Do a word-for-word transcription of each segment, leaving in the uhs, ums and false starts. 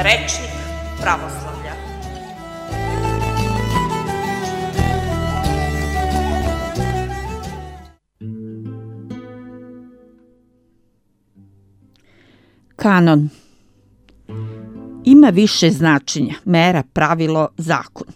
rečnik pravoslavlja. Kanon. Ima više značenja, mera, pravilo, zakon.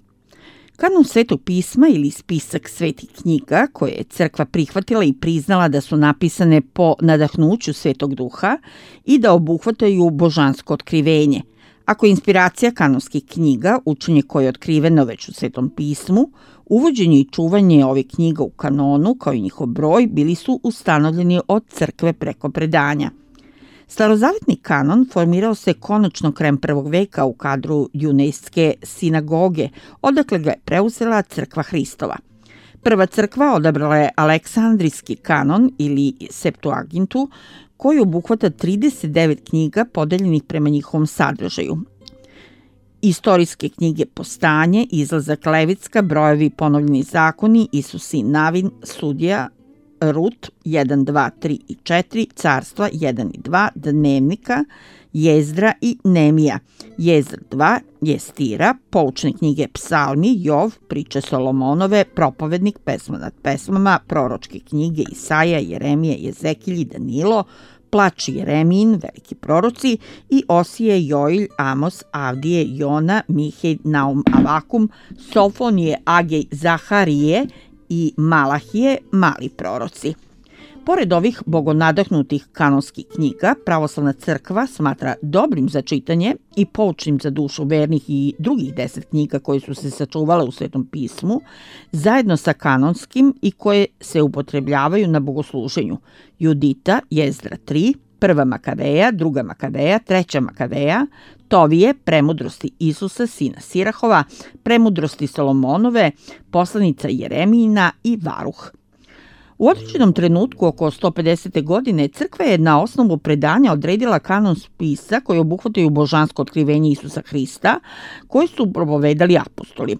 Kanon Svetog pisma ili spisak svetih knjiga koje je crkva prihvatila i priznala da su napisane po nadahnuću Svetog duha i da obuhvataju božansko otkrivenje. Ako je inspiracija kanonskih knjiga, učenje koje je otkriveno već u Svetom pismu, uvođenje i čuvanje ovih knjiga u kanonu, kao i njihov broj, bili su ustanovljeni od crkve preko predanja. Starozavetni kanon formirao se konačno krajem prvog veka u kadru Junejske sinagoge, odakle ga je preuzela crkva Hristova. Prva crkva odabrala je Aleksandrijski kanon ili Septuagintu, koji obuhvata trideset devet knjiga podeljenih prema njihovom sadržaju. Istorijske knjige Postanje, Izlazak Levitska, Brojevi, Ponovljeni zakoni, Isus i Navin, Sudija, Rut jedan, dva, tri i četiri, Carstva jedan i dva, Dnevnika, Jezdra i Nemija, Jezdra dva, Jestira, poučne knjige Psalmi, Jov, Priče Solomonove, Propovednik, Pesma nad pesmama, proročke knjige Isaja, Jeremije, Jezekilj, Danilo, Plač Jeremijin, veliki proroci i Osije, Joilj, Amos, Avdije, Jona, Mihej, Naum, Avakum, Sofonije, Agej, Zaharije i Malahije, mali proroci. Pored ovih bogonadahnutih kanonskih knjiga, pravoslavna crkva smatra dobrim za čitanje i poučnim za dušu vernih i drugih deset knjiga koje su se sačuvale u Svetom pismu, zajedno sa kanonskim i koje se upotrebljavaju na bogosluženju: Judita, Jezdra tri, Prva Makaveja, Druga Makaveja, Treća Makaveja, Tovije, Premudrosti Isusa, sina Sirahova, Premudrosti Solomonove, Poslanica Jeremijina i Varuh. U određenom trenutku, oko sto pedesete godine, crkva je na osnovu predanja odredila kanon spisa koji obuhvataju božansko otkrivenje Isusa Hrista, koji su propovedali apostoli.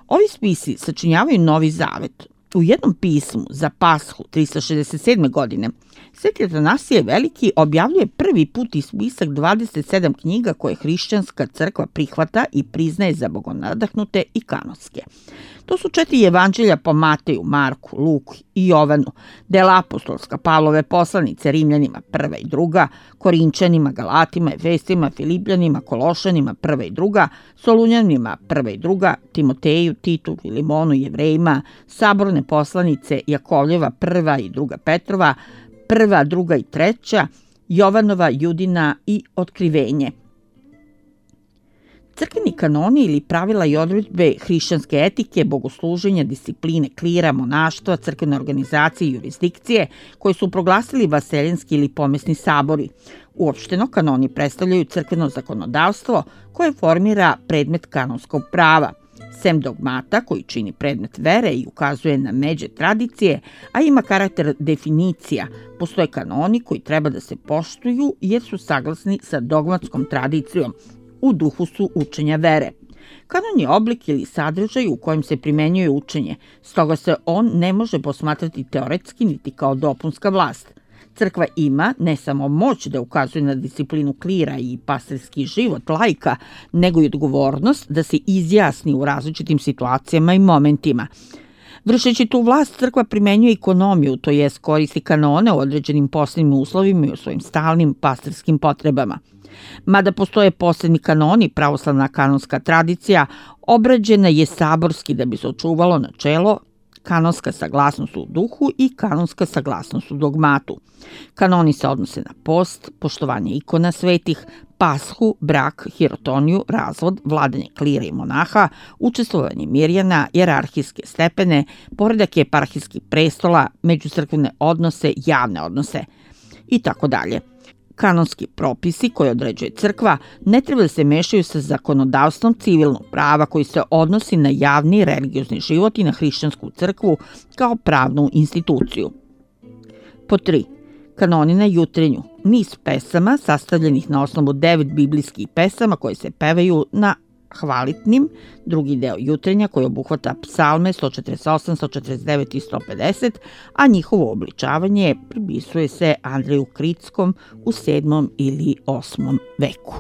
Ovi spisi sačinjavaju Novi zavet. U jednom pismu za Pashu tristo šezdeset sedme. godine Sveti Atanasije Veliki objavljuje prvi put i spisak dvadeset sedam knjiga koje hrišćanska crkva prihvata i priznaje za bogonadahnute i kanonske. To su četiri evanđelja po Mateju, Marku, Luku i Jovanu, dela apostolska, Pavlove poslanice, Rimljanima prva i druga, Korinčanima, Galatima, Efesima, Filipljanima, Kološanima prva i druga, Solunjanima prva i druga, Timoteju, Titu, Filimonu, Jevrejima, saborne poslanice Jakovljeva prva i druga Petrova, prva, druga i treća, Jovanova, Judina i Otkrivenje. Crkveni kanoni ili pravila i odredbe hrišćanske etike, bogosluženja, discipline, klira, monaštva, crkvene organizacije i jurisdikcije koje su proglasili vaseljenski ili pomesni sabori. Uopšteno, kanoni predstavljaju crkveno zakonodavstvo koje formira predmet kanonskog prava. Sem dogmata koji čini predmet vere i ukazuje na međe tradicije, a ima karakter definicija, postoje kanoni koji treba da se poštuju jer su saglasni sa dogmatskom tradicijom, u duhu su učenja vere. Kanon je oblik ili sadržaj u kojem se primenjuje učenje, stoga se on ne može posmatrati teoretski niti kao dopunska vlast. Crkva ima ne samo moć da ukazuje na disciplinu klira i pastirski život laika, nego i odgovornost da se izjasni u različitim situacijama i momentima. Vršeći tu vlast, crkva primenjuje ekonomiju, to jest koristi kanone u određenim posebnim uslovima i u svojim stalnim pastirskim potrebama. Mada postoje posebni kanoni, pravoslavna kanonska tradicija obrađena je saborski da bi se očuvalo načelo kanonska saglasnost u duhu i kanonska saglasnost u dogmatu. Kanoni se odnose na post, poštovanje ikona svetih, pashu, brak, hirotoniju, razvod, vladanje klira i monaha, učestvovanje mirjana, jerarhijske stepene, poredak eparhijskih prestola, međucrkvene odnose, javne odnose i tako dalje. Kanonski propisi koje određuje crkva ne treba da se mešaju sa zakonodavstvom civilnog prava koji se odnosi na javni religiozni život i na hrišćansku crkvu kao pravnu instituciju. Po tri. Kanoni na jutrenju. Niz pesama sastavljenih na osnovu devet biblijskih pesama koje se pevaju na hvalitnim, drugi deo jutrenja koji obuhvata psalme sto četrdeset osam, sto četrdeset devet i sto pedeset, a njihovo obličavanje pripisuje se Andreju Kritskom u sedmom ili osmom veku.